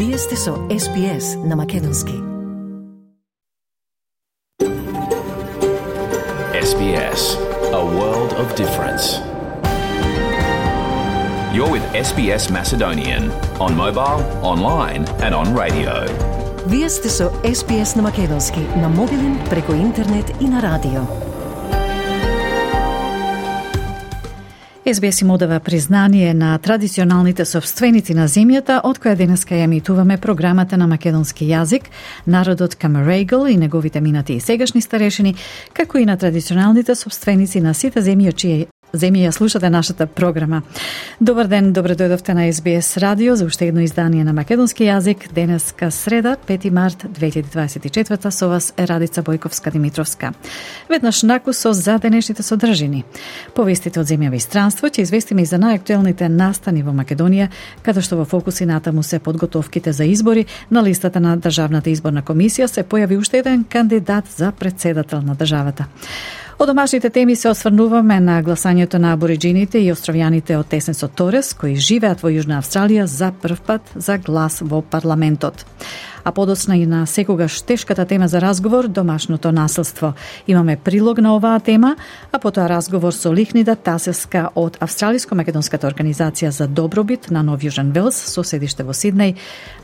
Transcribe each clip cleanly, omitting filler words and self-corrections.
Вие сте со SBS на Македонски. SBS, a world of difference. You're with SBS Macedonian on mobile, online and on radio. Вие сте со SBS на Македонски на мобилен, преку интернет и на радио. SBS им одава признание на традиционалните собственици на земјата, од која денеска ја емитуваме програмата на македонски јазик, народот Камерейгл и неговите минати и сегашни старешини, како и на традиционалните собственици на сите земји, чија земја ја слушате нашата програма. Добар ден, добре дојдовте на SBS радио за уште едно издание на македонски јазик. Денеска среда, 5 март 2024, со вас е Радица Бојковска-Димитровска. Веднаш накусо за денешните содржини. Повестите од земјава и странство ќе известиме и за најактуелните настани во Македонија, каде што во фокуси натаму се подготовките за избори. На листата на Државната изборна комисија се појави уште еден кандидат за председател на државата. Од домашните теми се осврнуваме на гласањето на абориджините и островјаните од Тесенсот Торес, кои живеат во Јужна Австралија за прв пат за глас во парламентот. А подоцна и на секогаш тешката тема за разговор, домашното насилство. Имаме прилог на оваа тема, а потоа разговор со Лихнида Тасевска од Австралиско-македонската организација за добробит на Нов Јужен Велс, со седиште во Сиднеј.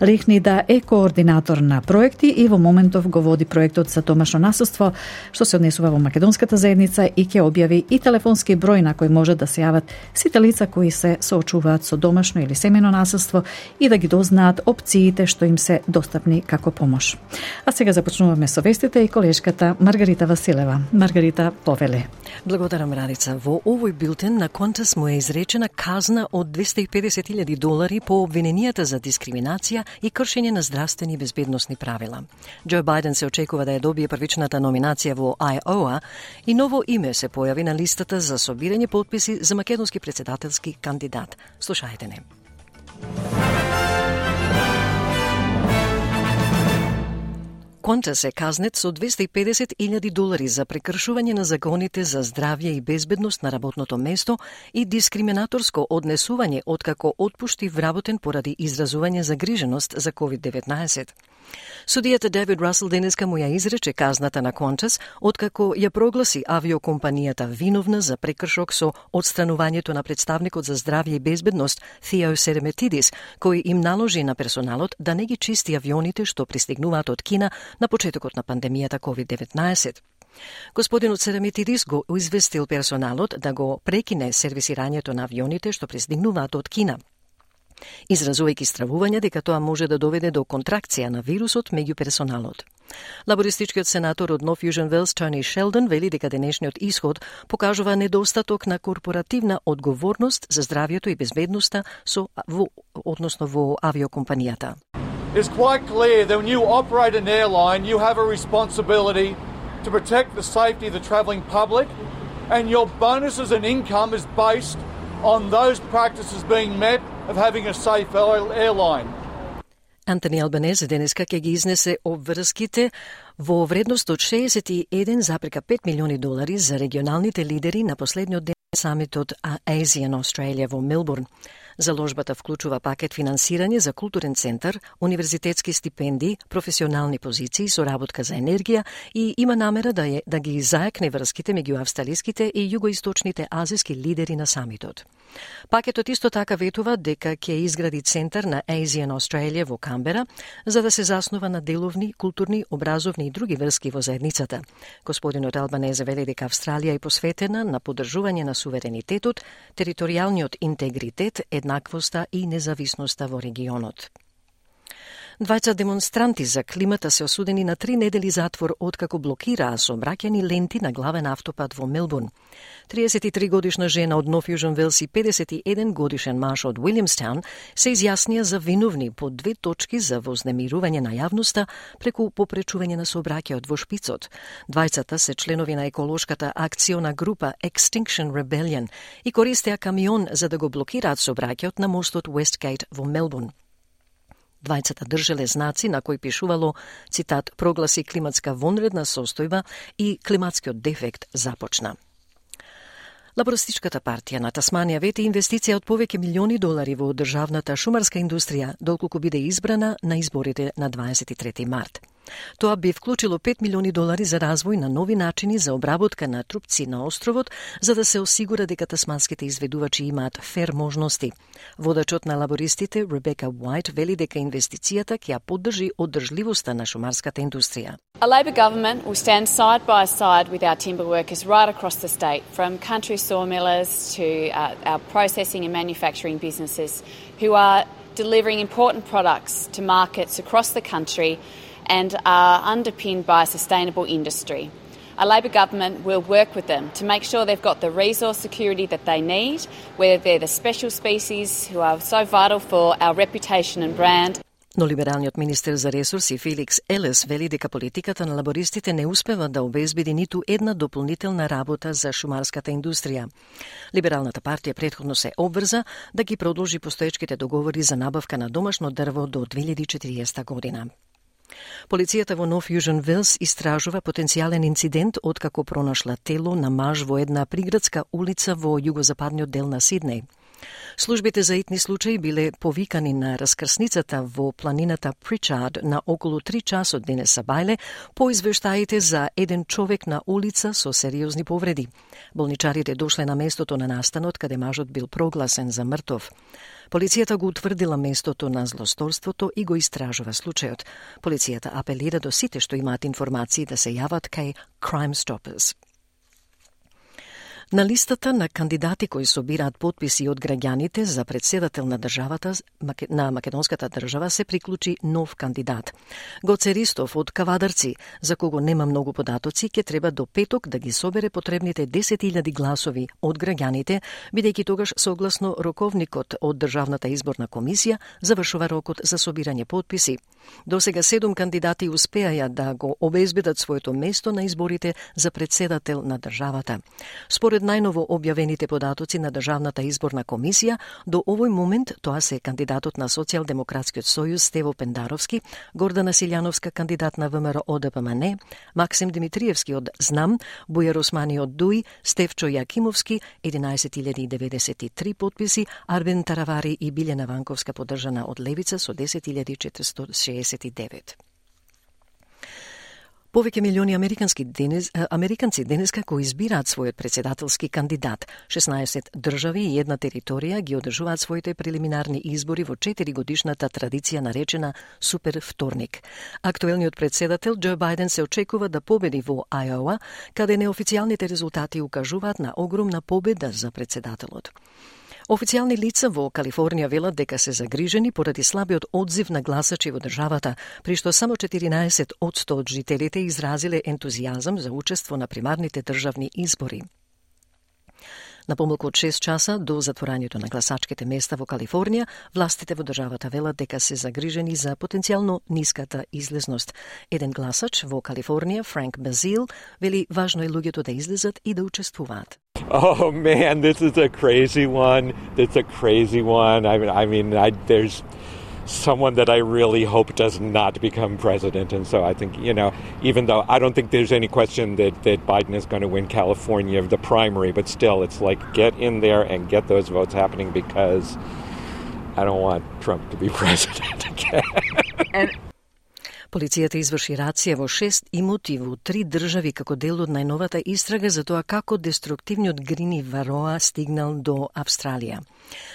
Лихнида е координатор на проекти и во моментов го води проектот за домашно насилство, што се однесува во македонската заедница и ќе објави и телефонски број на кој може да се јават сите лица кои се соочуваат со домашно или семено насилство и да ги дознаат опциите што им се достапни како помош. А сега започнуваме со вестите и колешката Маргарита Василева. Маргарита, повеле. Благодарам, Радица. Во овој билтен на Qantas му е изречена казна од $250,000 по обвиненијата за дискриминација и кршење на здравствени и безбедносни правила. Џо Бајден се очекува да ја добие првичната номинација во Айоа и ново име се појави на листата за собирање потписи за македонски председателски кандидат. Слушајте не. Qantas е казнет со $250,000 за прекршување на законите за здравје и безбедност на работното место и дискриминаторско однесување откако отпушти вработен поради изразување загриженост за COVID-19. Судијата Девид Расел денеска му ја изрече казната на Qantas откако ја прогласи авиокомпанијата виновна за прекршок со отстранувањето на представникот за здравје и безбедност Theo Seremetidis, кој им наложи на персоналот да не ги чисти авионите што пристигнуваат од Кина на почетокот на пандемијата COVID-19. Господинот Seremetidis го известил персоналот да го прекине сервисирањето на авионите што пристигнуваат од Кина, изразувајќи стравување дека тоа може да доведе до контракција на вирусот меѓу персоналот. Лабористичкиот сенатор од Нов Јужен Велс Тони Шелдон вели дека денешниот исход покажува недостаток на корпоративна одговорност за здравјето и безбедноста во авиокомпанијата. It's quite clear that when you operate an airline, you have a responsibility to protect the safety of the travelling public, and your bonuses and income is based on those practices being met of having a safe airline. Антони Албанезе денеска ќе ги изнесе обврските во вредност од $61,5 милиони за регионалните лидери на последниот ден самитот Asian Australia во Мелбурн. Заложбата вклучува пакет финансирање за културен центар, универзитетски стипендии, професионални позиции, соработка за енергија и има намера да ги заекне врските меѓу австралиските и југоисточните азиски лидери на самитот. Пакетот исто така ветува дека ќе изгради центар на Asian Australia во Камбера, за да се заснува на деловни, културни, образовни и други врски во заедницата. Господинот Албанезе вели дека Австралија е посветена на поддржување на суверенитетот, територијалниот интегритет, еднаквоста и независноста во регионот. Двајца демонстранти за климата се осудени на 3 недели затвор откако блокираа сообраќајни ленти на главен автопат во Мелбурн. 33 годишна жена од Нов Јужен Велс и 51 годишен маж од Уилјамстаун се изјаснија за виновни по 2 точки за вознемирување на јавноста преку попречување на сообраќајот во шпицот. Двајцата се членови на еколошката акциона група Extinction Rebellion и користеа камион за да го блокираат сообраќајот на мостот Westgate во Мелбурн. Двајцата држеле знаци на кои пишувало, цитат, прогласи климатска вонредна состојба и климатскиот дефект започна. Лабористичката партија на Тасманија вети инвестиција од повеќе милиони долари во државната шумарска индустрија доколку биде избрана на изборите на 23 март. Тоа би вклучило 5 милиони долари за развој на нови начини за обработка на трупци на островот, за да се осигура дека тасманските изведувачи имаат фер можности. Водачот на лабористите, Ребека Уајт, вели дека инвестицијата ќе ја поддржи одржливоста на шумарската индустрија. A Labor government will stand side by side with our timber workers right across the state, from country sawmillers to our processing and manufacturing businesses who are delivering important products to markets across the country and are underpinned by a sustainable industry. A Labor government will work with them to make sure they've got the resource security that they need, whether they're the special species who are so vital for our reputation and brand. Но либералниот министер за ресурси Феликс Елес вели дека политиката на лабористите не успева да обезбеди ниту една дополнителна работа за шумарската индустрија. Либералната партија претходно се обврза да ги продолжи постоечките договори за набавка на домашно дрво до 2040 година. Полицијата во Нов Јужен Велс истражува потенцијален инцидент откако пронашла тело на маж во една приградска улица во југозападниот дел на Сиднеј. Службите за итни случаи биле повикани на раскрсницата во планината Причард на околу 3 часот денес сабајле по извештаите за еден човек на улица со сериозни повреди. Болничарите дошле на местото на настанот каде мажот бил прогласен за мртов. Полицијата го утврдила местото на злосторството и го истражува случајот. Полицијата апелира до сите што имаат информации да се јават кај Crime Stoppers. На листата на кандидати кои собираат потписи од граѓаните за председател на државата на македонската држава се приклучи нов кандидат. Гоце Ристов од Кавадарци, за кого нема многу податоци, ќе треба до петок да ги собере потребните 10.000 гласови од граѓаните, бидејќи тогаш согласно роковникот од Државната изборна комисија завршува рокот за собирање потписи. До сега 7 кандидати успеаја да го обезбедат своето место на изборите за председател на државата. Според најново објавените податоци на Државната изборна комисија, до овој момент тоа се кандидатот на Социјалдемократскиот сојуз Стево Пендаровски, Гордана Силјановска кандидат на ВМРО ДПМН, Максим Димитриевски од ЗНАМ, Бујар Османи од ДУИ, Стефчо Јакимовски 11.093 потписи, Арбен Таравари и Билјана Ванковска поддржана од Левица со 10.469. Повеќе милиони американци денеска кои избираат својот председателски кандидат. 16 држави и една територија ги одржуваат своите прелиминарни избори во 4-годишната традиција наречена Супер вторник. Актуелниот председател Џо Бајден се очекува да победи во Ајоа, каде неофицијалните резултати укажуваат на огромна победа за председателот. Официјални лица во Калифорнија велат дека се загрижени поради слабиот одзив на гласачи во државата, при што само 14% од жителите изразиле ентузијазам за учество на примарните државни избори. На помалку од 6 часа до затворањето на гласачките места во Калифорнија, властите во државата велат дека се загрижени за потенцијално ниската излезност. Еден гласач во Калифорнија, Франк Базил, вели важно е луѓето да излезат и да учествуваат. Oh man, this is a crazy one. It's a crazy one. There's someone that I really hope does not become president. And so I think, even though I don't think there's any question that Biden is going to win California, the primary, but still it's like get in there and get those votes happening because I don't want Trump to be president again. Полицијата изврши рација во 6 имоти во 3 држави како дел од најновата истрага за тоа како деструктивниот грини вароа стигнал до Австралија.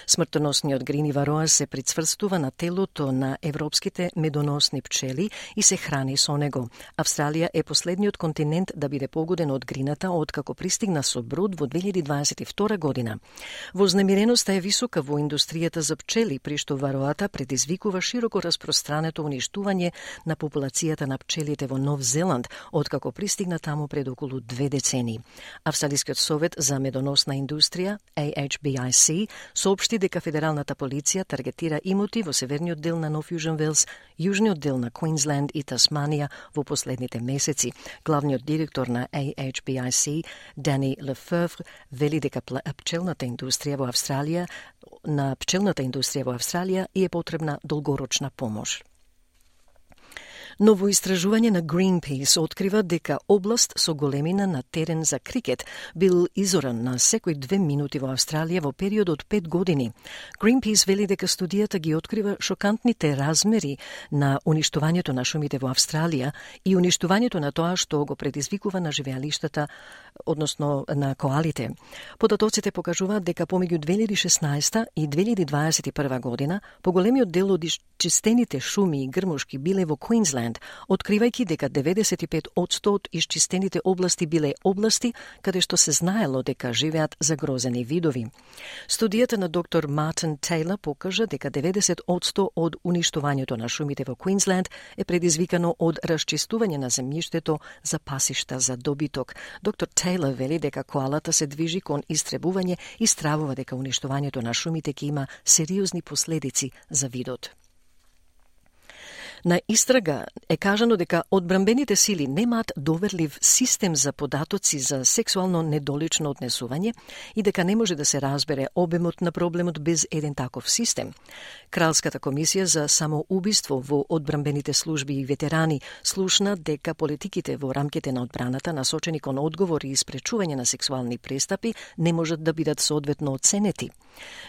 Смртоносниот грини вароа се прицврстува на телото на европските медоносни пчели и се храни со него. Австралија е последниот континент да биде погоден од грината откако пристигна со брод во 2022 година. Вознемиреноста е висока во индустријата за пчели, при што вароата предизвикува широко распространето уништување на популацијата на пчелите во Нов Зеланд, откако пристигна таму пред околу 2 децени. Австралискиот совет за медоносна индустрија, AHBIC, соопшти дека федералната полиција таргетира имоти во северниот дел на Нов Јужен Велс, јужниот дел на Квинсленд и Тасманија во последните месеци. Главниот директор на AHBIC, Дани Лефевр, вели дека пчелната индустрија во Австралија и е потребна долгорочна помош. Ново истражување на Greenpeace открива дека област со големина на терен за крикет бил изоран на секој 2 минути во Австралија во период од 5 години. Greenpeace вели дека студијата ги открива шокантните размери на уништувањето на шумите во Австралија и уништувањето на тоа што го предизвикува на живеалиштата, односно на коалите. Податоците покажуваат дека помеѓу 2016 и 2021 година поголемиот дел од исчистените шуми и грмушки биле во Квинсленд, откривајќи дека 95% од исчистените области биле области каде што се знаело дека живеат загрозени видови. Студијата на доктор Мартин Тейлор покажа дека 90% од уништувањето на шумите во Квинсленд е предизвикано од расчистување на земјиштето за пасишта за добиток. Доктор Тейлор вели дека коалата се движи кон истребување и стравува дека уништувањето на шумите ќе има сериозни последици за видот. На истрага е кажано дека одбранбените сили немаат доверлив систем за податоци за сексуално недолично однесување и дека не може да се разбере обемот на проблемот без еден таков систем. Кралската комисија за самоубиство во одбранбените служби и ветерани слушна дека политиките во рамките на одбраната насочени кон одговори и спречување на сексуални престапи не можат да бидат соодветно оценети.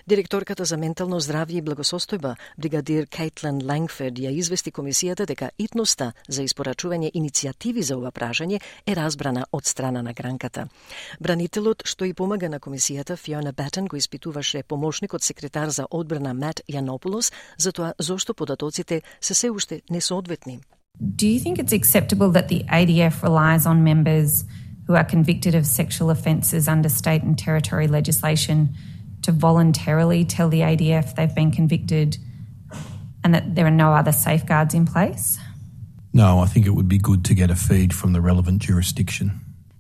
Директорката за ментално здравје и благосостојба, бригадир Кейтлин Лангфорд, ја извести комисијата дека итноста за испорачување иницијативи за ова прашање е разбрана од страна на гранката. Бранителот што и помага на комисијата, Фиона Батен, го испитуваше помошникот секретар за одбрана Мат Јанополос за тоа зошто податоците се уште несоодветни. Do you think it's acceptable that the ADF relies on members who are convicted of sexual offences under state and territory legislation to voluntarily tell the ADF they've been convicted and that there are no other safeguards in place? No, I think it would be good to get a feed from the relevant jurisdiction.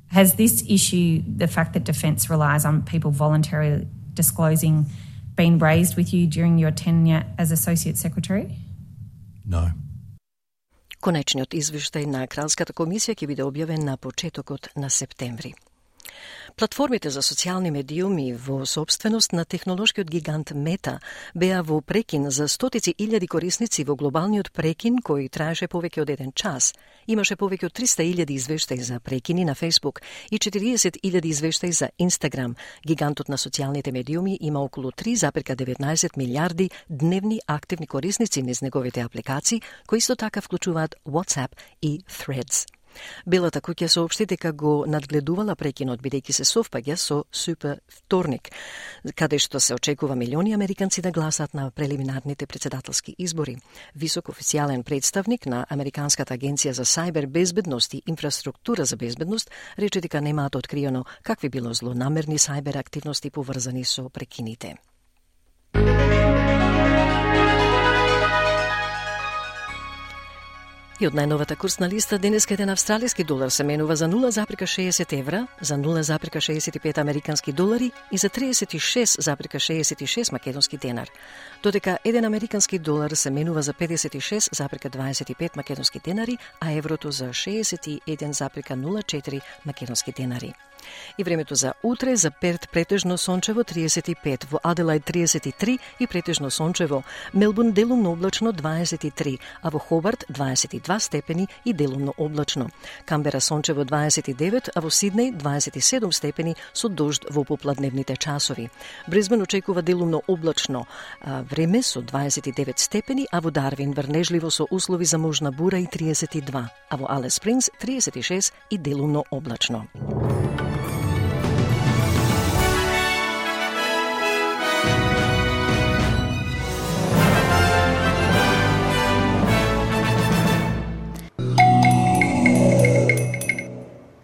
Has this issue, the fact that Defence relies on people voluntarily disclosing, been raised with you during your tenure as Associate Secretary? No. Конечниот извештај на Кралската комисија ќе биде објавен на почетокот на септември. Платформите за социјални медиуми во собственост на технолошкиот гигант Мета беа во прекин за стотици илјади корисници во глобалниот прекин кој траеше повеќе од 1 час. Имаше повеќе од 300.000 извештаи за прекини на Facebook и 40.000 извештаи за Instagram. Гигантот на социјалните медиуми има околу 3,19 милиарди дневни активни корисници низ неговите апликации, кои исто така вклучуваат WhatsApp и Threads. Белата куќа соопшти дека го надгледувала прекинот бидејќи се совпаѓа со Супер вторник, каде што се очекува милиони американци да гласат на прелиминарните председателски избори. Висок официјален представник на Американската агенција за сајбер безбедност и инфраструктура за безбедност рече дека немаат откриено какви било злонамерни сајбер активности поврзани со прекините. И од најновата курсна листа денеска еден австралиски долар се менува за 0,60 евра, за 0,65 американски долари и за 36,66 македонски денар. Додека еден американски долар се менува за 56,25 македонски денари, а еврото за 61,04 македонски денари. И времето за утре: за Перт претежно сончево 35, во Аделајд 33 и претежно сончево, Мелбурн делумно облачно 23, а во Хобарт 22 степени и делумно облачно. Камбера сончево 29, а во Сиднеј 27 степени со дожд во попладневните часови. Бризбен очекува делумно облачно време со 29 степени, а во Дарвин врнежливо со услови за можна бура и 32, а во Алис Спрингс 36 и делумно облачно.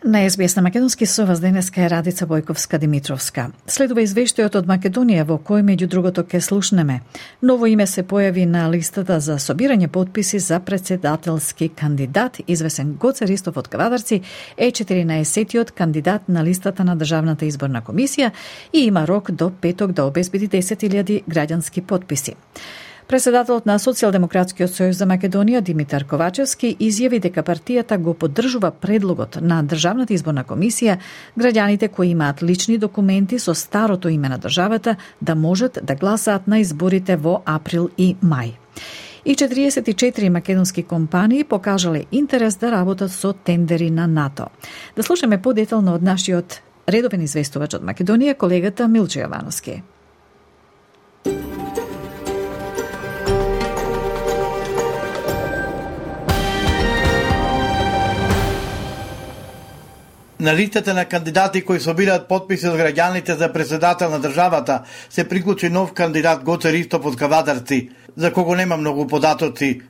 На СБС на македонски со вас денеска е Радица Бојковска-Димитровска. Следува извештајот од Македонија во кој меѓу другото ке слушнеме. Ново име се појави на листата за собирање подписи за председателски кандидат. Извесен Гоце Ристов од Кавадарци е 14-тиот кандидат на листата на Државната изборна комисија и има рок до петок да обезбеди 10.000 граѓански подписи. Председателот на Социјалдемократскиот сојуз за Македонија Димитар Ковачевски изјави дека партијата го поддржува предлогот на Државната изборна комисија граѓаните кои имаат лични документи со старото име на државата да можат да гласаат на изборите во април и мај. И 44 македонски компании покажале интерес да работат со тендери на НАТО. Да слушаме подетално од нашиот редовен известувач од Македонија, колегата Милчо Јовановски. На листата на кандидати кои собираат потписи од граѓаните за председател на државата се приклучи нов кандидат Гоце Ристов од Кавадарци, за кого нема многу податоци.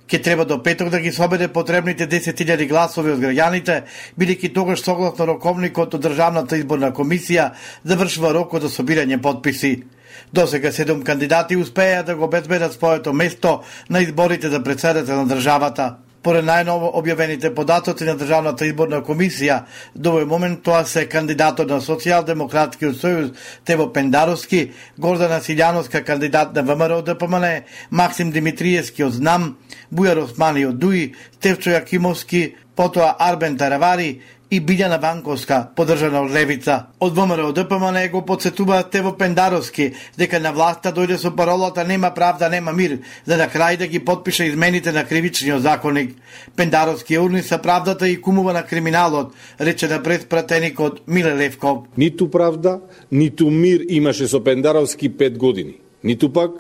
Ке треба до петок да ги собере потребните 10.000 гласови од граѓаните, бидејќи тогаш согласно роковникот од Државната изборна комисија завршува рокот за собирање потписи. Досега 7 кандидати успеа да го обезбедат своето место на изборите за председател на државата. Поред најново објавените податоци на Државната изборна комисија, до овој момент тоа се кандидатот на Социјалдемократскиот сојуз Тево Пендаровски, Гордана Силјановска кандидат на ВМРО ДПМН, Максим Димитриевски од ЗНАМ, Бујар Османи од ДУИ, Стефчо Јакимовски, потоа Арбен Таравари и Билјана Ванковска, поддржана од Левица. Од ВМРО ДПМН го подсетува Тево Пендаровски дека на власта дојде со паролата "Нема правда, нема мир", за да крај да ги подпише измените на кривичниот законник. Пендаровски урниса правдата и кумува на криминалот, рече на предпратеникот Миле Левков. Ниту правда, ниту мир имаше со Пендаровски 5 години. Ниту пак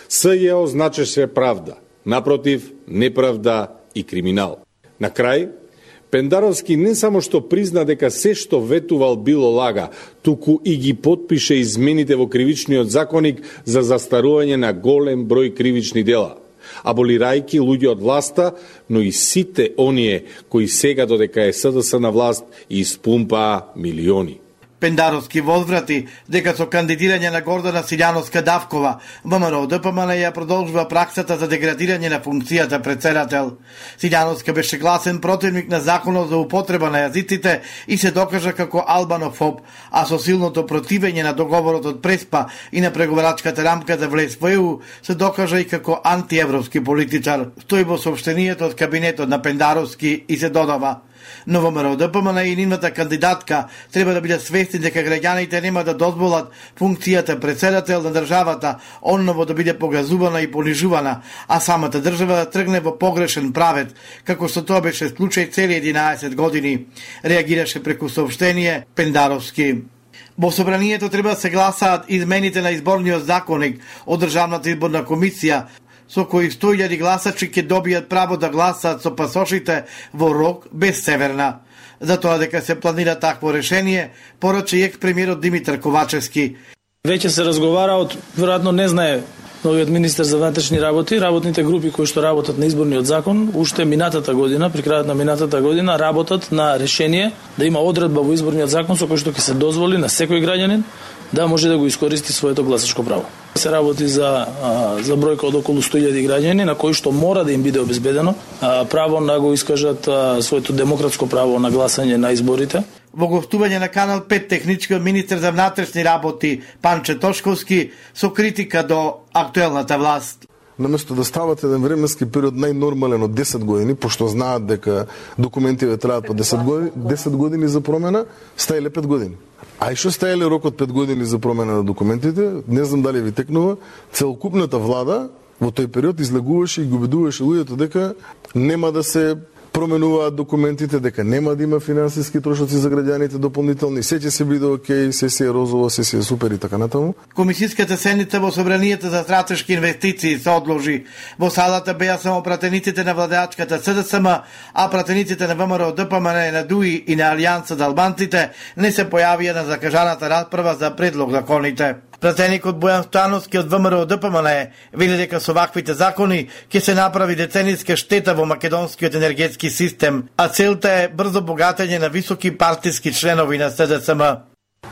СЈО значеше правда. Напротив, неправда и криминал. На крај, Пендаровски не само што призна дека се што ветувал било лага, туку и ги потпише измените во кривичниот законник за застарување на голем број кривични дела, аболирајќи луѓе од власта, но и сите оние кои сега додека е СДС на власт испумпаа милиони. Пендаровски возврати дека со кандидирање на Гордана Силјановска Давкова, ВМРО ДПМН ја продолжува праксата за деградирање на функцијата председател. Силјановска беше гласен противник на законот за употреба на јазиците и се докажа како албанофоб, а со силното противење на договорот од Преспа и на преговарачката рамка за влез во ЕУ се докажа и како антиевропски политичар. Стои во соопштенијето од кабинетот на Пендаровски и се додава: но ВМРО ДПМН и нивната кандидатка треба да бидат свесни дека граѓаните нема да дозволат функцијата председател на државата онново да биде погазувана и понижувана, а самата држава да тргне во погрешен правец, како што тоа беше случај цели 11 години, реагираше преку соопштение Пендаровски. Во собранието треба да се гласаат измените на изборниот законник од Државната изборна комисија, со кои 100.000 гласачи ќе добијат право да гласаат со пасошите во рок без Северна. За тоа дека се планира такво решение, порача и екс-премиерот Димитар Ковачевски. Веќе се разговара, веројатно не знае новиот министер за внатрешни работи, работните групи кои што работат на изборниот закон, уште минатата година, при крајот на минатата година, работат на решение да има одредба во изборниот закон со кој што ќе се дозволи на секој граѓанин да може да го искористи своето гласачко право. Се работи за бројка од околу 100.000 граѓани на кои што мора да им биде обезбедено право да го искажат своето демократско право на гласање на изборите. Во гостување на Канал 5 техничкиот министер за внатрешни работи Панче Тошковски со критика до актуелната власт. Наместо да стават еден временски период најнормален од 10 години, пошто знаат дека документиве траат по 10 години за промена, стаиле 5 години. А и што стаиле рокот 5 години за промена на документите, не знам дали ви текнува, целокупната влада во тој период излегуваше и ги убедуваше луѓето дека нема да се променуваат документите, дека нема да има финансиски трошоци за граѓаните дополнителни, се ќе се биде окей, се е розово, се е супер и така натаму. Комисиската седница во Собранието за стратешки инвестиции се одложи. Во салата беа само пратениците на владеачката СДСМ, а пратениците на ВМРО ДПМН, на ДУИ и на Алијанса за албанците не се појавија на закажаната расправа за предлог законите. Пратеникот Бојан Стојановски од ВМРО ДПМН вели дека со ваквите закони ќе се направи децениска штета во македонскиот енергетски систем, а целта е брзо богатење на високи партиски членови на СДСМ.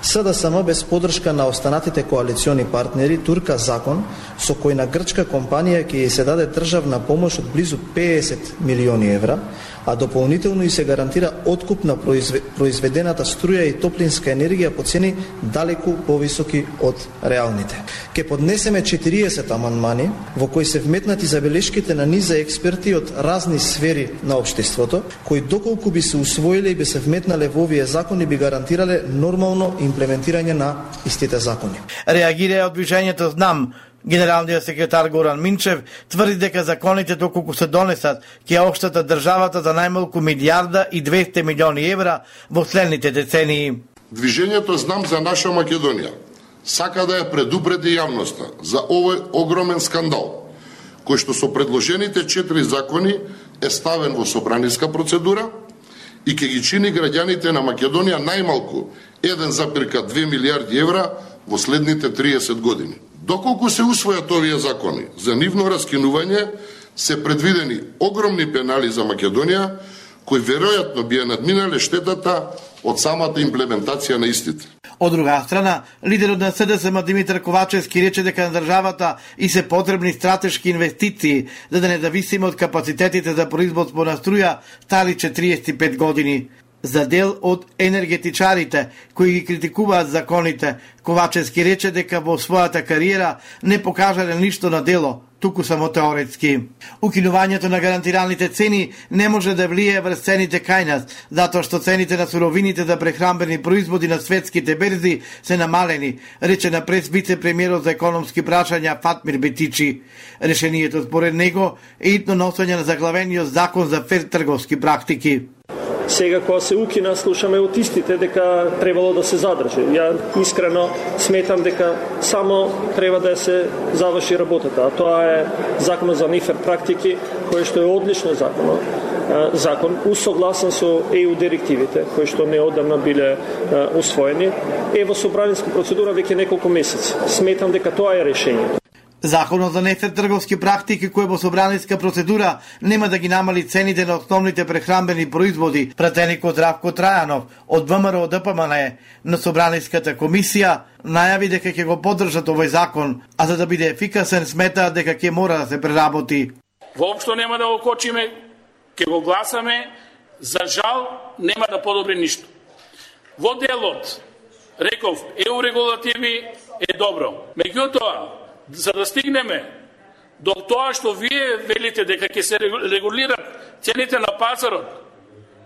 СДСМ без подршка на останатите коалициони партнери турка закон со кој на грчка компанија ќе се даде државна помош од близу 50 милиони евра, а дополнително и се гарантира откуп на произведената струја и топлинска енергија по цени далеку повисоки од реалните. Ке поднесеме 40 амандмани во кои се вметнати забелешките на низа експерти од разни сфери на општеството, кои доколку би се усвоиле и би се вметнале во овие закони би гарантирале нормално имплементирање на истите закони. Реагира од движењето ЗНАМ, Генералниот секретар Горан Минчев тврди дека законите доколку се донесат ќе оштатат државата за најмалку 1,2 милиарди евра во следните децении. Движењето Знам за наша Македонија сака да ја предупреди јавноста за овој огромен скандал, кој што со предложените 4 закони е ставен во собраниска процедура и ќе ги чини граѓаните на Македонија најмалку 1,2 милиарди евра во следните 30 години. Доколку се усвојат овие закони, за нивно раскинување се предвидени огромни пенали за Македонија, кои веројатно би ја надминале штетата од самата имплементација на истите. Од друга страна, лидерот на СДСМ Димитар Ковачевски рече дека на државата и се потребни стратешки инвестиции за да не зависиме од капацитетите за производство на струја стали 45 години. За дел од енергетичарите кои ги критикуваат законите, Ковачевски рече дека во својата кариера не покажале ништо на дело, туку само теоретски. Укинувањето на гарантираните цени не може да влие врз цените кај нас, затоа што цените на суровините за прехранбени производи на светските берзи се намалени, рече на прес вице-премиерот за економски прашања Фатмир Бетичи. Решението според него е итно носење на заглавениот закон за фер трговски практики. Сега кога се укина, слушаме од истите дека требало да се задржи. Ја искрено сметам дека само треба да се заврши работата, а тоа е законот за нефер практики, кој што е одлично закон, усогласен со ЕУ директивите, кои што неодамна биле усвоени, е во собраниска процедура веќе неколку месеци. Сметам дека тоа е решењето. Законот за нефер трговски практики кој во собраниска процедура нема да ги намали цените на основните прехранбени производи, пратеникот Здравко Трајанов од ВМРО ДПМН на собраниската комисија најави дека ќе го поддржат овој закон, а за да биде ефикасен сметаат дека ќе мора да се преработи. Воопшто нема да го кочиме, ќе го гласаме, за жал нема да подобри ништо. Во делот, реков, ЕУ регулативи е добро. Меѓутоа, за да стигнеме до тоа што вие велите дека ќе се регулират цените на пазарот,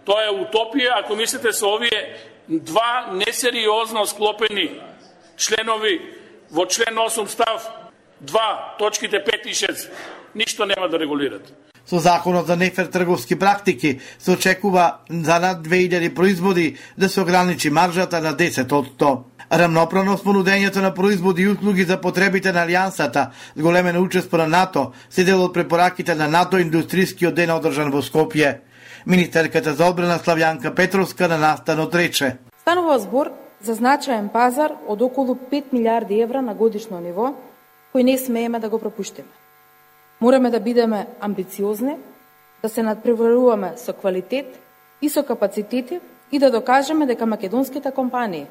тоа е утопија ако мислите со овие два несериозно склопени членови во член 8 став 2, точките 5 и 6. Ништо нема да регулират. Со законот за нефер трговски практики се очекува за над 2000 производи да се ограничи маржата на 10%. Рамноправност понудењето на производи и услуги за потребите на Алијансата, зголемено учество на НАТО, се дел од препораките на НАТО индустријскиот ден одржан во Скопје. Министерката за одбрана Славјанка Петровска на настанот рече: Станува збор за значаен пазар од околу 5 милиарди евра на годишно ниво, кој не смееме да го пропуштиме. Мораме да бидеме амбициозни, да се надпреваруваме со квалитет и со капацитети и да докажеме дека македонските компании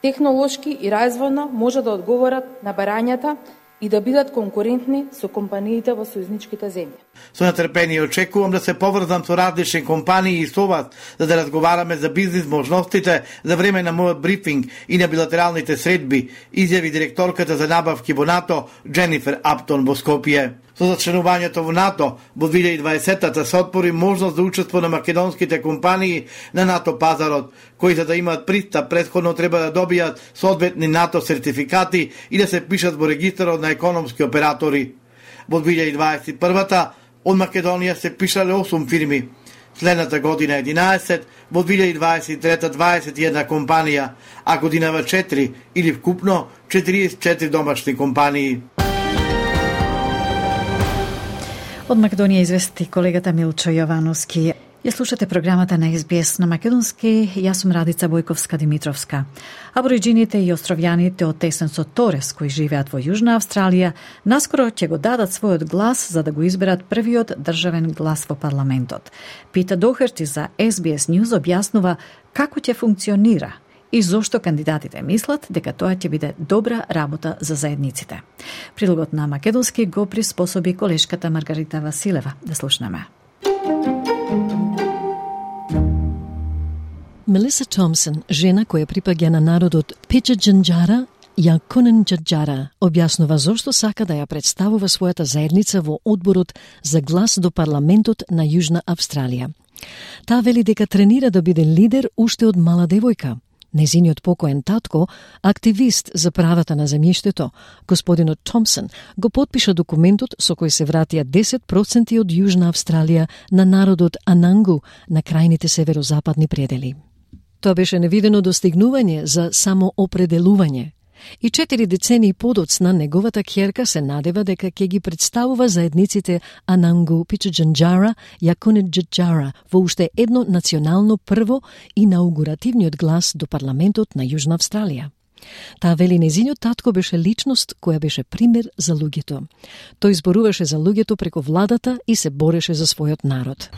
технолошки и развојно може да одговорат на барањата и да бидат конкурентни со компаниите во сојузничките земји. Со нетрпение очекувам да се поврзам со различни компании и со вас, за да разговараме за бизнис можностите за време на мојот брифинг и на билатералните средби, изјави директорката за набавки во НАТО Дженифер Аптон во Скопје. Со зачленувањето во НАТО во 2020-та се отвори можност за учество на македонските компании на НАТО пазарот, кои за да имаат пристап претходно треба да добијат соодветни НАТО сертификати и да се пишат во регистарот на економски оператори. Во 2021-та од Македонија се пишале 8 фирми, следната година 11, во 2023-та 21 компанија, а годинава 4 или вкупно 44 домашни компании. Од Македонија извести колегата Милчо Јовановски. Ја слушате програмата на SBS на македонски, јас сум Радица Бојковска-Димитровска. Абориџините и островјаните од Тесенсот Торес, кои живеат во Јужна Австралија, наскоро ќе го дадат својот глас за да го изберат првиот државен глас во парламентот. Пита Дохерти за SBS News објаснува како ќе функционира и зошто кандидатите мислат дека тоа ќе биде добра работа за заедниците. Прилогот на македонски го приспособи колешката Маргарита Василева. Да слушнеме. Мелиса Томсон, жена која припаѓа на народот Пичаджанџара, Јаконен Џаџара, објаснува зошто сака да ја представува својата заедница во одборот за глас до парламентот на Јужна Австралија. Таа вели дека тренира да биде лидер уште од мала девојка. Незиниот покоен татко, активист за правата на земјиштето, господинот Томпсон, го потпиша документот со кој се вратија 10% од Јужна Австралија на народот Анангу на крајните северозападни предели. Тоа беше невидено достигнување за самоопределување. И 4 децении подоцна неговата ќерка се надева дека ќе ги представува заедниците Анангу Пичаџанџара, Јакунеџаџара во уште едно национално прво инаугуративниот глас до парламентот на Јужна Австралија. Таа вели незиниот татко беше личност која беше пример за луѓето. Тој зборуваше за луѓето преку владата и се бореше за својот народ.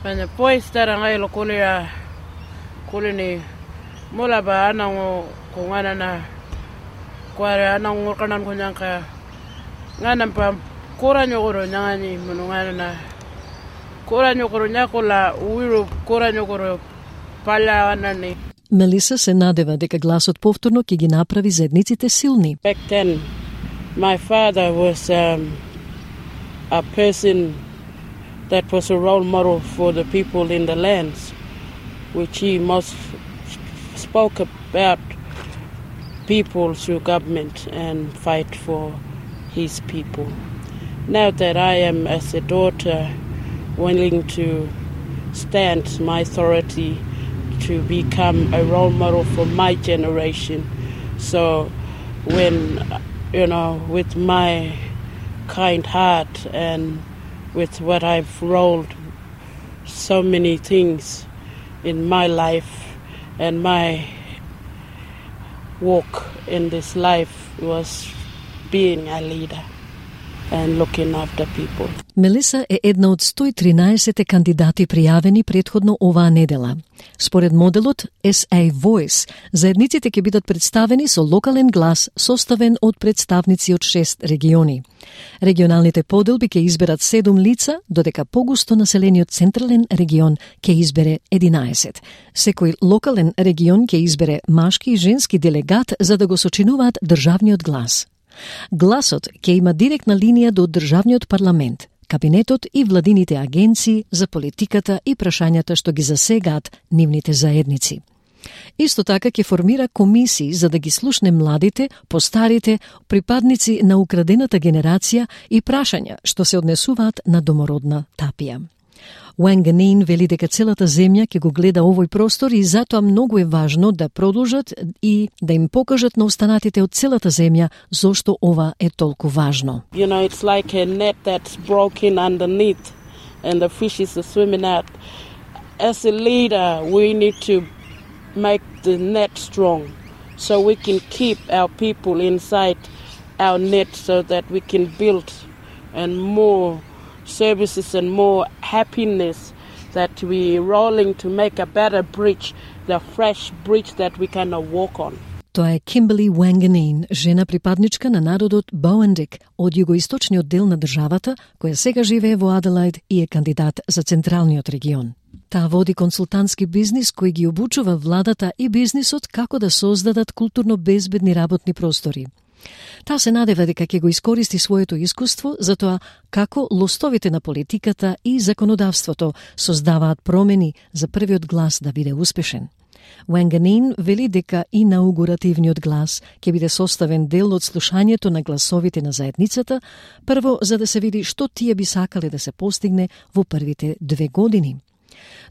Kuare ana ngorkanan ko nyangka nganam pam kora nyogoro nyangani munungana na kora nyogoro nyakola uiru kora nyogoro pala anani. Мелиса се надева дека гласот повторно ќе ги направи заедниците силни. Back then my father was a person that was a role model for the people in the lands which he most spoke about people through government and fight for his people. Now that I am as a daughter willing to stand my authority to become a role model for my generation. So when, with my kind heart and with what I've rolled so many things in my life and my walk in this life was being a leader and looking after people. Мелиса е една од 113 кандидати пријавени претходно оваа недела. Според моделот SA Voice, заедниците ќе бидат представени со локален глас составен од представници од 6 региони. Регионалните поделби ќе изберат 7 лица, додека погусто населениот централен регион ќе избере 11. Секој локален регион ќе избере машки и женски делегат за да го сочинуваат државниот глас. Гласот ќе има директна линија до државниот парламент, кабинетот и владините агенции за политиката и прашањата што ги засегаат нивните заедници. Исто така ќе формира комисии за да ги слушне младите, постарите, припадници на украдената генерација и прашања што се однесуваат на домородна тапија. Wanganeen вели дека целата земја ќе го гледа овој простор и затоа многу е важно да продолжат и да им покажат на останатите од целата земја зошто ова е толку важно. It's like a net that's broken underneath and the fishes are swimming out. As a leader, we need to make the net strong so we can keep our people inside our net so that we can build and more services and more happiness that we're rolling to make a better bridge, the fresh bridge that we can walk on. Тоа е Kimberly Wanganeen, жена припадничка на народот Боуендик од југоисточниот дел на државата, која сега живее во Аделаид и е кандидат за централниот регион. Таа води консултантски бизнис кој ги обучува владата и бизнисот како да создадат културно безбедни работни простори. Таа се надева дека ќе го искористи своето искуство за тоа како лостовите на политиката и законодавството создаваат промени за првиот глас да биде успешен. Wanganeen вели дека инаугуративниот глас ќе биде составен дел од слушањето на гласовите на заедницата, прво за да се види што тие би сакале да се постигне во првите 2 години.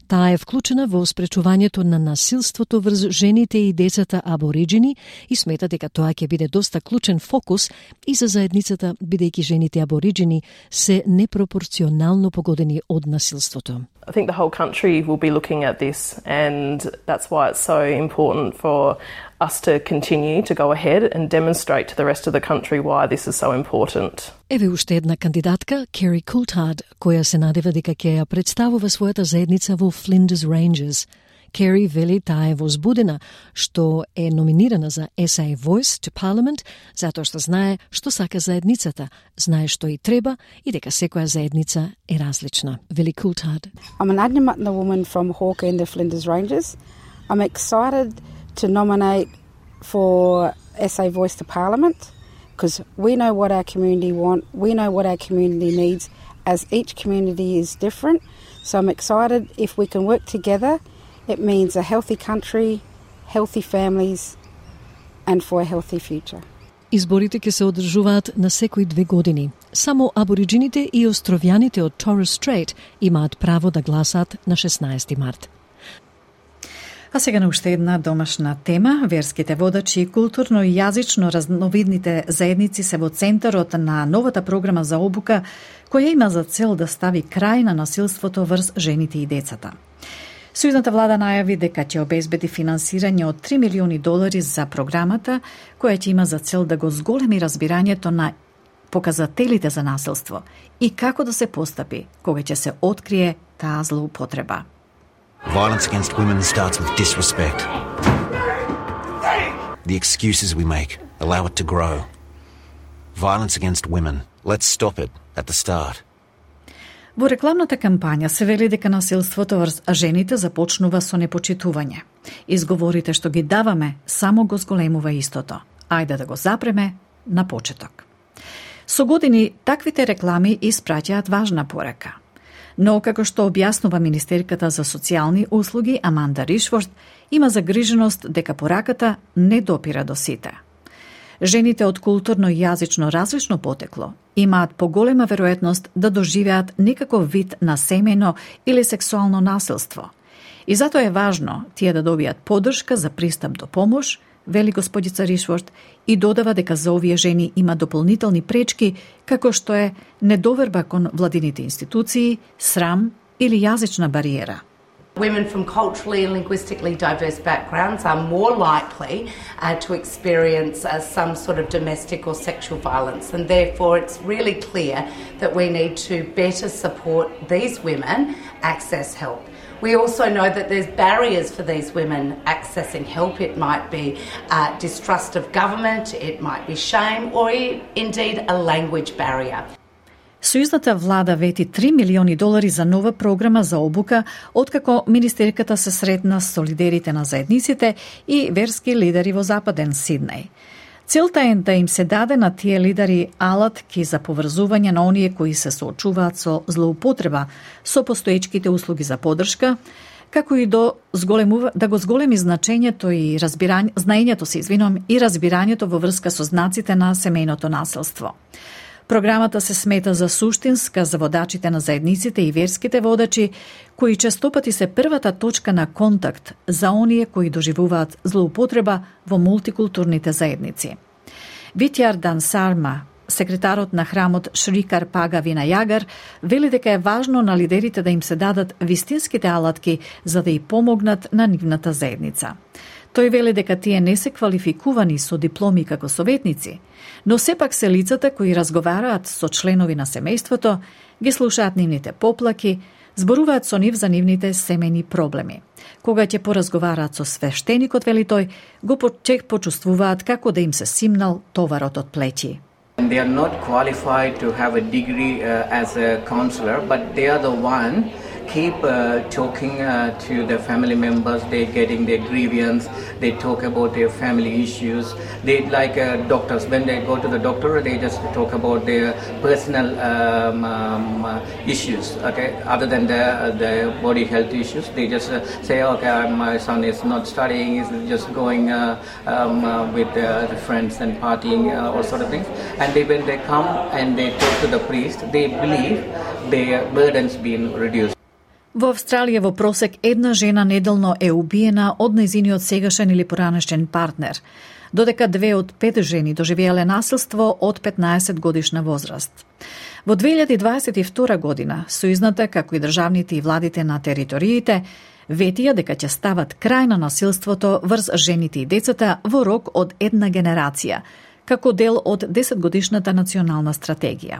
Таа е вклучена во спречувањето на насилството врз жените и децата абориџини и смета дека тоа ќе биде доста клучен фокус и за заедницата, бидејќи жените абориџини се непропорционално погодени од насилството. I think the whole country will be looking at this, and that's why it's so important for us to continue to go ahead and demonstrate to the rest of the country why this is so important. Еве уште една кандидатка, Kerry Coulthard, која се надева дека ќе ја представува својата заедница во Flinders Ranges. Kerry вели таа е возбудена што е номинирана за SA Voice to Parliament, затоа што знае што сака заедницата, знае што и треба и дека секоја заедница е различна. Вели Coulthard. I'm an Adnyamatna woman from Hawker in the Flinders Ranges. I'm excited to nominate for SA Voice to Parliament because we know what our community want, we know what our community needs, as each community is different. So I'm excited if we can work together. It means a healthy country, healthy families and for a healthy future. Изборите ќе се одржуваат на секои 2 години. Само абориджините и островјаните од Torres Strait имаат право да гласаат на 16 март. А сега на уште една домашна тема. Верските водачи и културно и јазично разновидните заедници се во центарот на новата програма за обука, која има за цел да стави крај на насилството врз жените и децата. Сојузната влада најави дека ќе обезбеди финансирање од $3 милиони за програмата, која ќе има за цел да го зголеми разбирањето на показателите за насилство и како да се постапи кога ќе се открие таа злоупотреба. Violence against women starts with disrespect. The excuses we make allow it to grow. Violence against women. Let's stop it at the start. Во рекламната кампања се вели дека насилството врз жените започнува со непочитување. Изговорите што ги даваме само го зголемува истото. Ајде да го запреме на почеток. Со години таквите реклами испраќаат важна порака. Но, како што објаснува министерката за социјални услуги Аманда Ришворд, има загриженост дека пораката не допира до сите. Жените од културно и јазично различно потекло имаат поголема веројатност да доживеат некаков вид на семејно или сексуално насилство. И затоа е важно тие да добијат поддршка за пристап до помош, вели господица Ришворд, и додава дека за овие жени има дополнителни пречки, како што е недоверба кон владините институции, срам или јазична бариера. Women from culturally and linguistically diverse backgrounds are more likely to experience some sort of domestic or sexual violence, and therefore it's really clear that we need to better support these women access help. We also know that there's barriers for these women accessing help. It might be distrust of government, it might be shame, or indeed a language barrier. Сојузната влада вети $3 милиони за нова програма за обука, откако министерката се сретна со лидерите на заедниците и верски лидери во Западен Сиднеј. Целта е да им се даде на тие лидери алатки за поврзување на оние кои се соочуваат со злоупотреба со постоечките услуги за поддршка, како и да го зголеми значењето и знаењето и разбирањето во врска со знаците на семејното насилство. Програмата се смета за суштинска за водачите на заедниците и верските водачи, кои честопати се првата точка на контакт за оние кои доживуваат злоупотреба во мултикултурните заедници. Витјар Дансарма, секретарот на храмот Шри Карпага Винајагар, вели дека е важно на лидерите да им се дадат вистинските алатки за да и помогнат на нивната заедница. Тој вели дека тие не се квалификувани со дипломи како советници, но сепак се лицата кои разговараат со членови на семејството, ги слушаат нивните поплаки, зборуваат со нив за нивните семејни проблеми. Кога ќе поразговараат со свештеникот, вели тој, го почувствуваат како да им се симнал товарот од плеќи. They are not qualified to have a degree as a counselor, but they are the one keep talking to the family members. They're getting their grievance. They talk about their family issues. They like doctors. When they go to the doctor, they just talk about their personal issues. Okay, other than the body health issues, they just say, okay, my son is not studying. He's just going with the friends and partying, all sort of things. And when they come and they talk to the priest, they believe their burden's been reduced. Во Австралија во просек една жена неделно е убиена од нејзиниот сегашен или поранешен партнер, додека 2 од 5 жени доживеале насилство од 15 годишна возраст. Во 2022 година, сојузната, како и државните и владите на териториите, ветија дека ќе стават крај на насилството врз жените и децата во рок од една генерација, како дел од 10-годишната национална стратегија.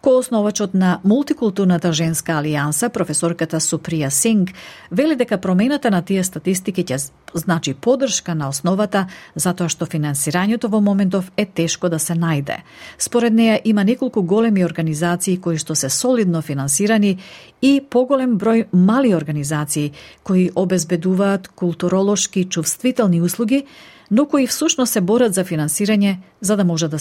Коосновачот на мултикултурната женска алијанса, професорката Суприја Синг, вели дека промената на тие статистики ќе значи поддршка на основата, затоа што финансирањето во моментов е тешко да се најде. Според неја има неколку големи организации кои што се солидно финансирани и поголем број мали организации кои обезбедуваат културолошки чувствителни услуги, но кои всушност се борат за финансирање за да може да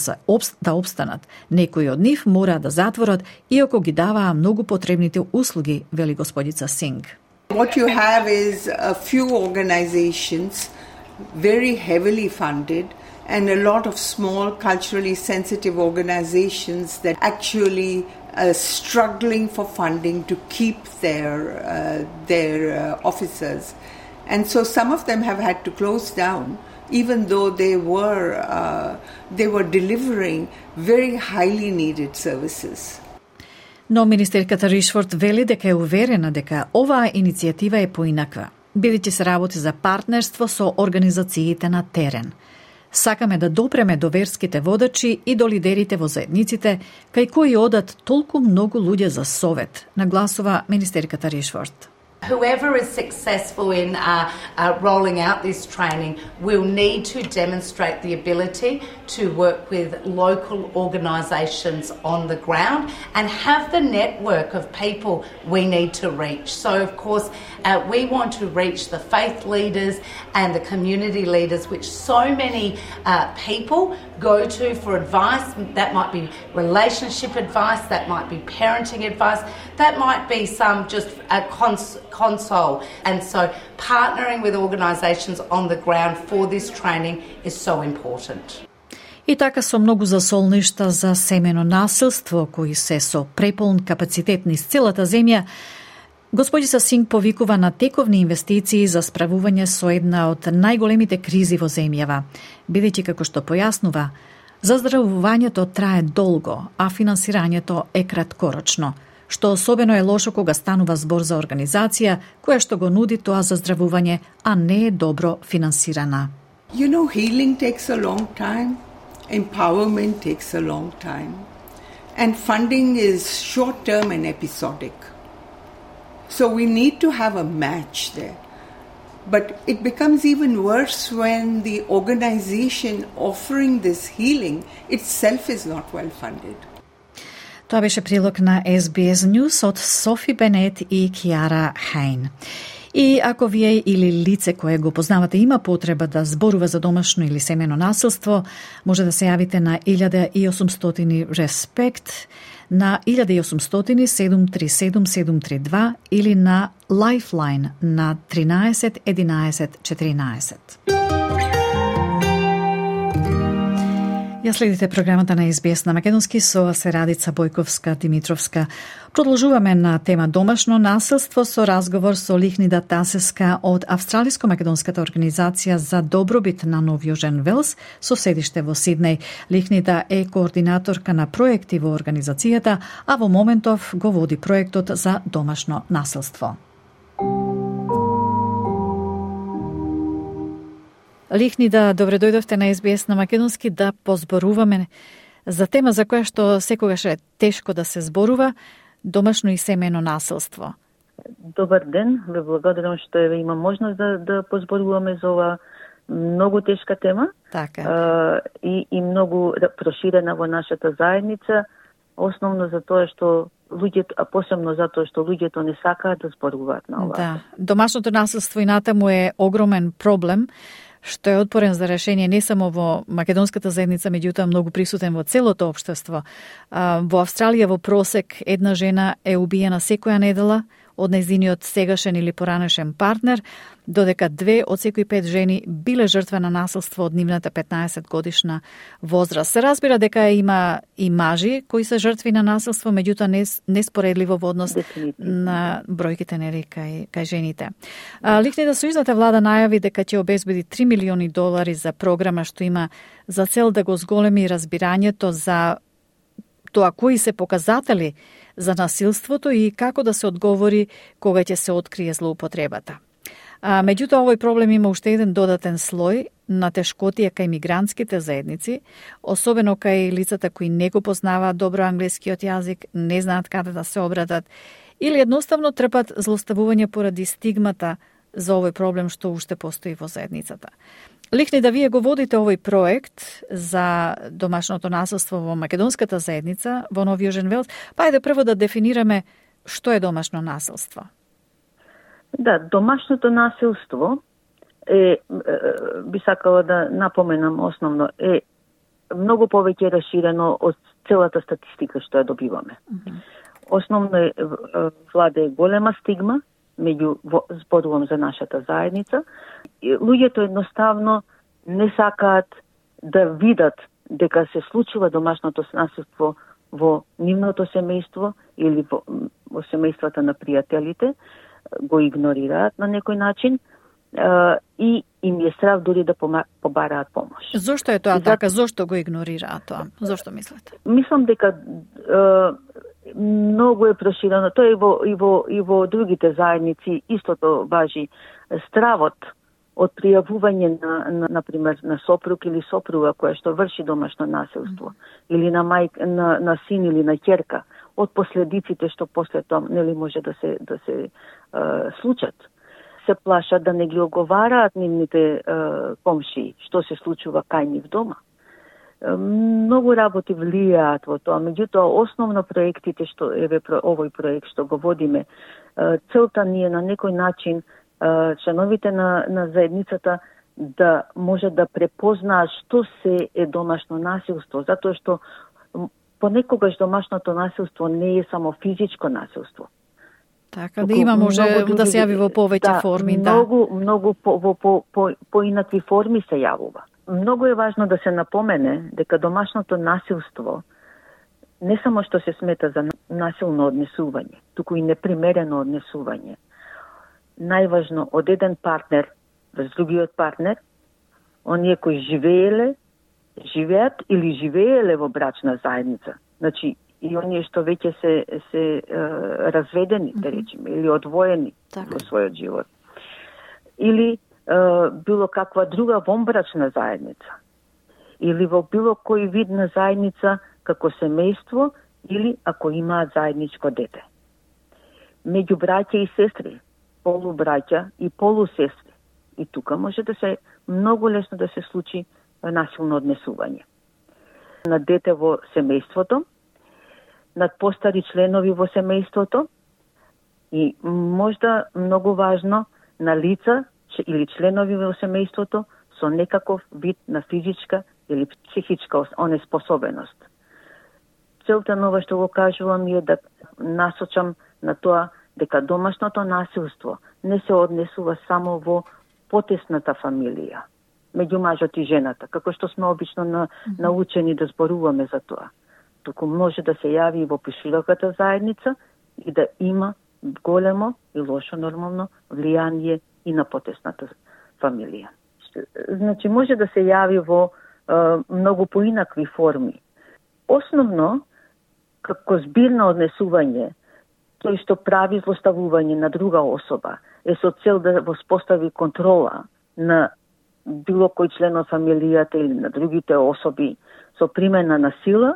обстанат. Некои од нив мора да затворат иако ги даваа многу потребните услуги, вели господица Синг. What you have is a few organizations very heavily funded, and a lot of small culturally sensitive organizations that actually are struggling for funding to keep their offices. And so some of them have had to close down, even though they were delivering very highly needed services. Но министерката Ришфорд вели дека е уверена дека оваа иницијатива е поинаква, бидејќи се работи за партнерство со организациите на терен. Сакаме да допреме до верските водачи и до лидерите во заедниците, кај кои одат толку многу луѓе за совет, нагласува министерката Ришфорд. Whoever is successful in rolling out this training will need to demonstrate the ability to work with local organisations on the ground and have the network of people we need to reach. So, of course, we want to reach the faith leaders and the community leaders, which so many people go to for advice. That might be relationship advice, that might be parenting advice, that might be some just a console. And so partnering with organisations on the ground for this training is so important. И така со многу засолништа за семено насилство, кои се со преполн капацитет низ целата земја, господица Синг повикува на тековни инвестиции за справување со една од најголемите кризи во земјава, бидејќи како што појаснува, заздравувањето трае долго, а финансирањето е краткорочно, што особено е лошо кога станува збор за организација која што го нуди тоа заздравување, а не е добро финансирана. You know, healing takes a long time. Empowerment takes a long time. And funding is short-term and episodic. So we need to have a match there. But it becomes even worse when the organization offering this healing itself is not well funded. Тоа беше прилог на SBS News од Софи Бенет и Киара Хайн. И ако вие или лице кое го познавате има потреба да зборува за домашно или семено насилство, може да се јавите на 1800 RESPECT, на 1800 737 732 или на Lifeline на 13 11 14. Ја следите програмата на SBS на македонски со се Радица Бојковска-Димитровска. Продолжуваме на тема домашно насилство со разговор со Лихнида Тасеска од Австралиско-македонската организација за добробит на Нов Јужен Велс со седиште во Сиднеј. Лихнида е координаторка на проекти во организацијата, а во моментов го води проектот за домашно насилство. Лихнида, добре дојдовте на SBS на македонски да позборуваме за тема за која што секогаш е тешко да се зборува, домашно и семено насилство. Добар ден, ве благодарам што има можност да позборуваме за ова многу тешка тема. Така. И многу проширена во нашата заедница, основно за тоа што луѓето, а посебно затоа што луѓето не сакаат да зборуваат на ова. Да, домашното насилство и натаму е огромен проблем, што е отпорен за решение не само во македонската заедница, меѓутоа многу присутен во целото општество. Во Австралија во просек една жена е убиена секоја недела од нејзиниот сегашен или поранешен партнер, додека 2 од секои 5 жени биле жртва на насилство од нивната 15 годишна возраст. Се разбира дека има и мажи кои се жртви на насилство, меѓутоа неспоредливо во однос на бројките нели кај жените. Лихнида Сојузната влада најави дека ќе обезбеди $3 милиони за програма што има за цел да го зголеми разбирањето за тоа кои се показатели за насилството и како да се одговори кога ќе се открие злоупотребата. Меѓутоа, овој проблем има уште еден додатен слој на тешкотија кај мигрантските заедници, особено кај лицата кои не го познаваат добро англискиот јазик, не знаат каде да се обратат или едноставно трпат злоставување поради стигмата за овој проблем што уште постои во заедницата. Лихни, да вие го водите овој проект за домашното насилство во македонската заедница во Нов Јужен Велс, па ајде прво да дефинираме што е домашно насилство. Да, домашното насилство би сакала да напоменам основно, е многу повеќе расширено од целата статистика што ја добиваме. Основно владе голема стигма зборувам за нашата заедница, луѓето едноставно не сакаат да видат дека се случува домашното насилство во нивното семејство или во семејствата на пријателите, го игнорираат на некој начин и им е страв дури да побараат помош. Зошто е тоа така? Зошто го игнорираат тоа? Зошто мислите? Мислам дека многу е проширено. Тоа и во другите заедници истото важи. Стравот од пријавување например, на сопруг или сопруга која што врши домашно насилство, или на син или на ќерка, од последиците што после тоа нели може да се случат. Се плашат да не ги оговараат нивните комшии што се случува кај нив дома. Многу работи влијаат во тоа, меѓутоа основно проектите што овој проект што го водиме, целта ни е на некој начин членовите на заедницата да може да препознаат што се е домашно насилство, затоа што понекогаш домашното насилство не е само физичко насилство. Така, да има може да се јави во повеќе форми. Многу поинакви форми се јавува. Многу е важно да се напомене дека домашното насилство не само што се смета за насилно однесување, туку и непримерено однесување. Најважно од еден партнер врз другиот партнер, оние кои живеат или живееле во брачна заедница. Значи, и оние што веќе се разведени, да речеме, или одвоени во својот живот. Или било каква друга вонбрачна заедница. Или во било кој вид на заедница како семејство, или ако имаат заедничко дете. Меѓу браќа и сестри, полубраќа и полусестри. И тука може да се многу лесно да се случи насилно однесување. На дете во семејството, над постари членови во семејството и можда многу важно на лица или членови во семејството со некаков вид на физичка или психичка онеспособеност. Целта на ова што го кажувам е да насочам на тоа дека домашното насилство не се однесува само во потесната фамилија, меѓу мажот и жената, како што сме обично научени да зборуваме за тоа. Туку може да се јави и во пошироката заедница и да има големо и лошо нормално влијание и на потесната фамилија. Значи може да се јави во многу поинакви форми. Основно, како збирно однесување, тој што прави злоставување на друга особа е со цел да воспостави контрола на било кој член од фамилијата или на другите особи со примена на сила,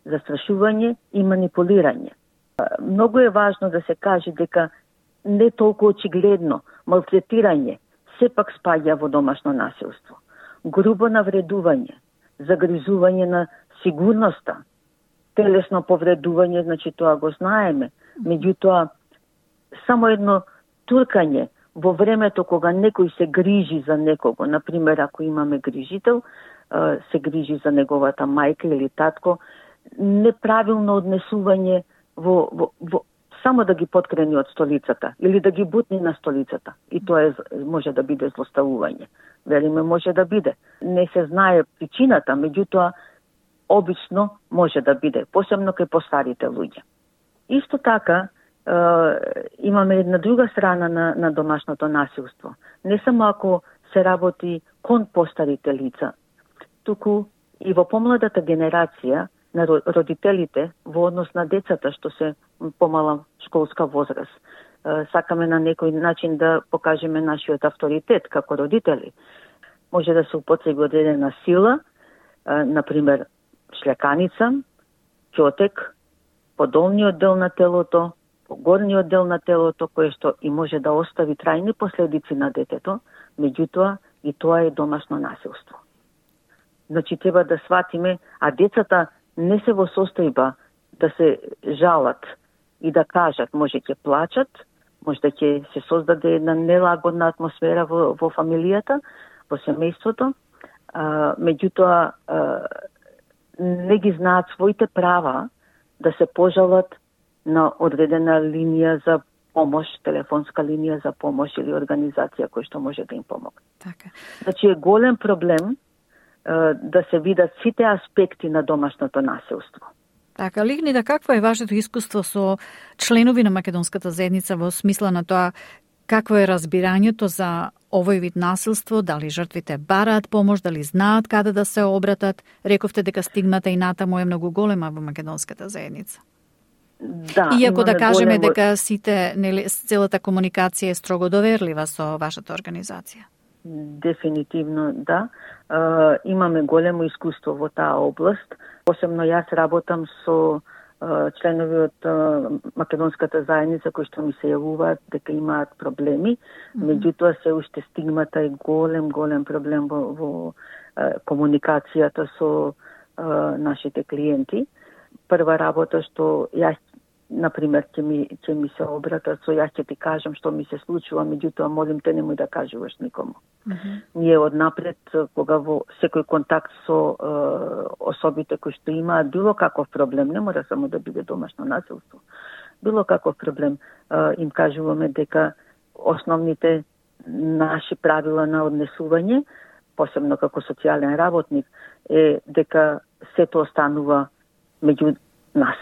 застрашување и манипулирање. Многу е важно да се каже дека не толку очигледно малтретирање сепак спаѓа во домашно насилство. Грубо навредување, загризување на сигурноста, телесно повредување, значи тоа го знаеме. Меѓутоа, само едно туркање во времето кога некој се грижи за некого, например, ако имаме грижител, се грижи за неговата мајка или татко, неправилно однесување само да ги поткрени од столицата или да ги бутни на столицата. И тоа може да биде злоставување. Вериме, може да биде. Не се знае причината, меѓутоа обично може да биде, посебно кај постарите луѓе. Исто така, имаме една друга страна на домашното насилство. Не само ако се работи кон постарите лица, туку и во помладата генерација на родителите во однос на децата што се помала школска возраст. Сакаме на некој начин да покажеме нашиот авторитет како родители. Може да се употреби одредена сила, например шлјаканица, ќотек, по долниот дел на телото, по горниот дел на телото, кое што и може да остави трајни последици на детето, меѓутоа и тоа е домашно насилство. Значи треба да сватиме, а децата не се во состојба да се жалат и да кажат, може ќе плачат, може да ќе се создаде една нелагодна атмосфера во фамилијата, во семејството, меѓутоа не ги знаат своите права да се пожалат на одредена линија за помош, телефонска линија за помош или организација која што може да им помогне. Така. Значи е голем проблем да се видат сите аспекти на домашното насилство. Така, Лихнида, какво е вашето искуство со членови на македонската заедница во смисла на тоа какво е разбирањето за овој вид насилство, дали жртвите бараат помош, дали знаат каде да се обратат? Рековте дека стигмата и натаму е многу голема во македонската заедница. Да, иако да кажеме големо... дека сите, нели, целата комуникација е строго доверлива со вашата организација. Дефинитивно, да. Имаме големо искуство во таа област. Посебно јас работам со членови од македонската заедница кои што ми се јавуваат дека имаат проблеми. Меѓутоа се уште стигмата е голем проблем во комуникацијата со нашите клиенти. Прва работа што јас, например, ќе ми се обратат со јас ќе ти кажам што ми се случува, меѓутоа молим те немој да кажуваш никому. Ние однапред, кога во секој контакт со особите кои што имаат било каков проблем, не мора само да биде домашно насилство, било каков проблем, им кажуваме дека основните наши правила на однесување, посебно како социјален работник, е дека сето останува меѓу нас.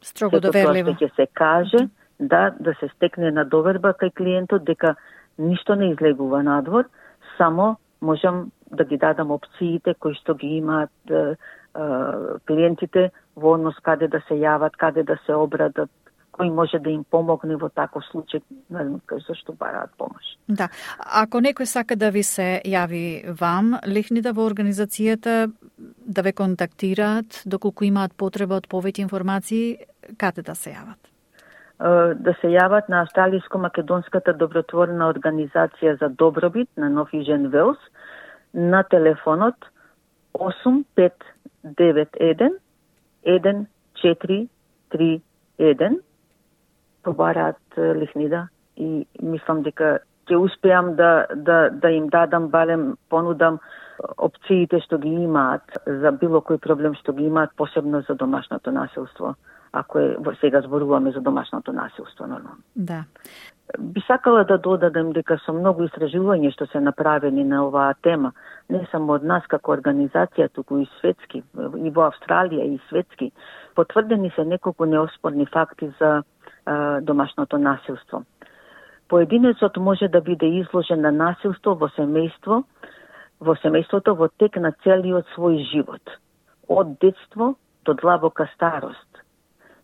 Строго доверливо. Сето тоа ќе се каже, да се стекне на доверба кај клиентот дека ништо не излегува надвор, само можам да ги дадам опциите кои што ги имаат клиентите во однос каде да се јават, каде да се обратат, кој може да им помогне во таков случај, зашто бараат помош. Да. Ако некој сака да ви се јави вам, Лихнида, во организацијата, да ве контактираат, доколку имаат потреба од повеќе информации, каде да се јават? Да се јават на Австралиско-македонската добротворна организација за добробит на Нов Южен Велс на телефонот 8591 1431. Побараат Лихнида и мислам дека ќе успеам да им дадам, барем понудам опциите што ги имаат за било кој проблем што ги имаат, посебно за домашното насилство. Ако сега зборуваме за домашното насилство, нормално. Да. Би сакала да додадам дека со многу истражувања што се направени на оваа тема, не само од нас како организација, туку и светски, и во Австралија и светски, потврдени се неколку неоспорни факти за домашното насилство. Поединецот може да биде изложен на насилство во семејството во тек на целиот свој живот, од детство до длабока старост.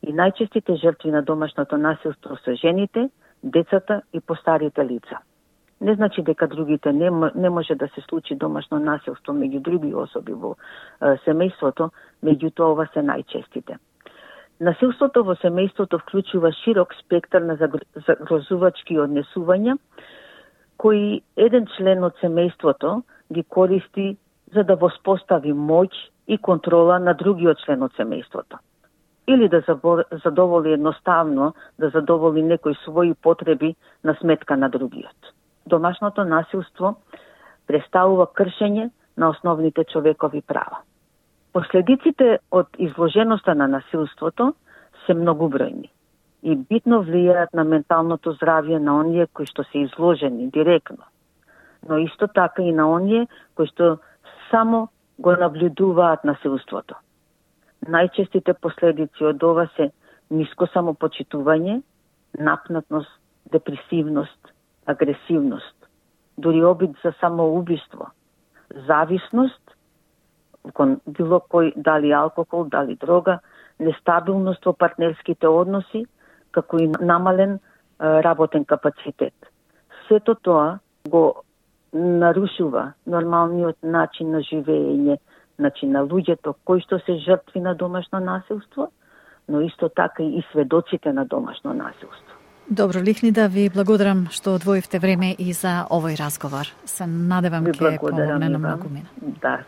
И најчестите жртви на домашното насилство се жените, децата и постарите лица. Не значи дека другите не може да се случи домашно насилство меѓу други особи во семејството, меѓутоа ова се најчестите. Насилството во семејството вклучува широк спектар на загрозувачки однесувања, кои еден член од семејството ги користи за да воспостави моќ и контрола на другиот член од семејството. Или да задоволи едноставно, да задоволи некои своји потреби на сметка на другиот. Домашното насилство представува кршење на основните човекови права. Последиците од изложеноста на насилството се многубројни и битно влијаат на менталното здравје на оние кои што се изложени директно, но исто така и на оние кои што само го наблюдуваат насилството. Најчестите последици од ова се ниско самопочитување, напнатност, депресивност, агресивност, дури обид за самоубиство, зависност кон било кој, дали алкохол, дали дрога, нестабилност во партнерските односи, како и намален работен капацитет. Сето тоа го нарушува нормалниот начин на живење, значи на луѓето кои што се жртви на домашно насилство, но исто така и сведоците на домашно насилство. Добро, Лихнида, ви благодарам што одвоивте време и за овој разговор. Се надевам ќе помогне на многу мина. Да,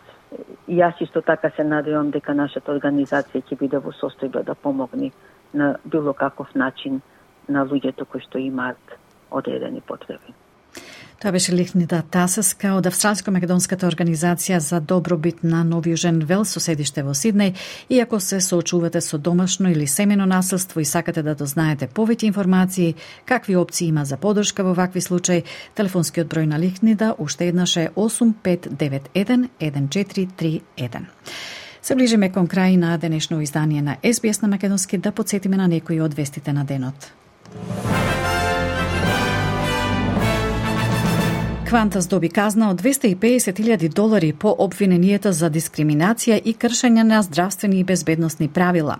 и јас исто така се надевам дека нашата организација ќе биде во состојба да помогне на било каков начин на луѓето кои што имаат одредени потреби. Тоа беше Лихнида Тасевска од Австралско-македонската организација за добробит на Нов Јужен Велс со седиште во Сиднеј. И ако се соочувате со домашно или семено насилство и сакате да дознаете повеќе информации, какви опции има за поддршка во вакви случаи, телефонскиот број на Лихнида уште еднаш е 8591 1431. Се ближиме кон крај на денешно издание на SBS на македонски, да подсетиме на некои од вестите на денот. Квантас доби казна од $250,000 по обвиненијата за дискриминација и кршење на здравствени и безбедносни правила.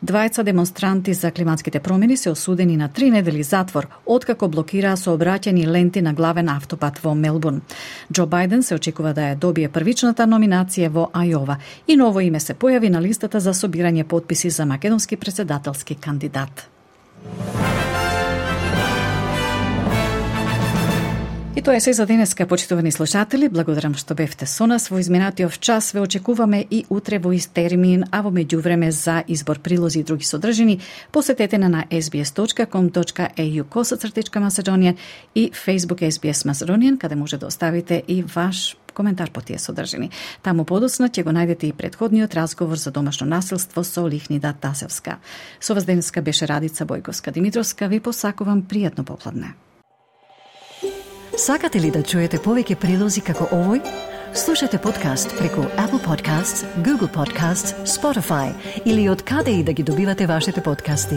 Двајца демонстранти за климатските промени се осудени на 3 недели затвор, откако блокираа сообраќајни ленти на главен автопат во Мелбурн. Џо Бајден се очекува да ја добие првичната номинација во Ајова и ново име се појави на листата за собирање потписи за македонски претседателски кандидат. И тоа е се за денеска, почитувани слушатели. Благодарам што бевте со нас во изминатиот час. Ве очекуваме и утре во ист термин, а во меѓувреме за избор прилози и други содржини, посетете на sbs.com.au/Macedonian и Facebook SBS Macedonian, каде може да оставите и ваш коментар по тие содржини. Таму подоцна ќе го најдете и претходниот разговор за домашно насилство со Лихнида Тасевска. Со вас денеска беше Радица Бојковска-Димитровска. Ви посакувам пријатно попладне. Сакате ли да чуете повеќе прилози како овој? Слушате подкаст преку Apple Podcasts, Google Podcasts, Spotify или од каде и да ги добивате вашите подкасти.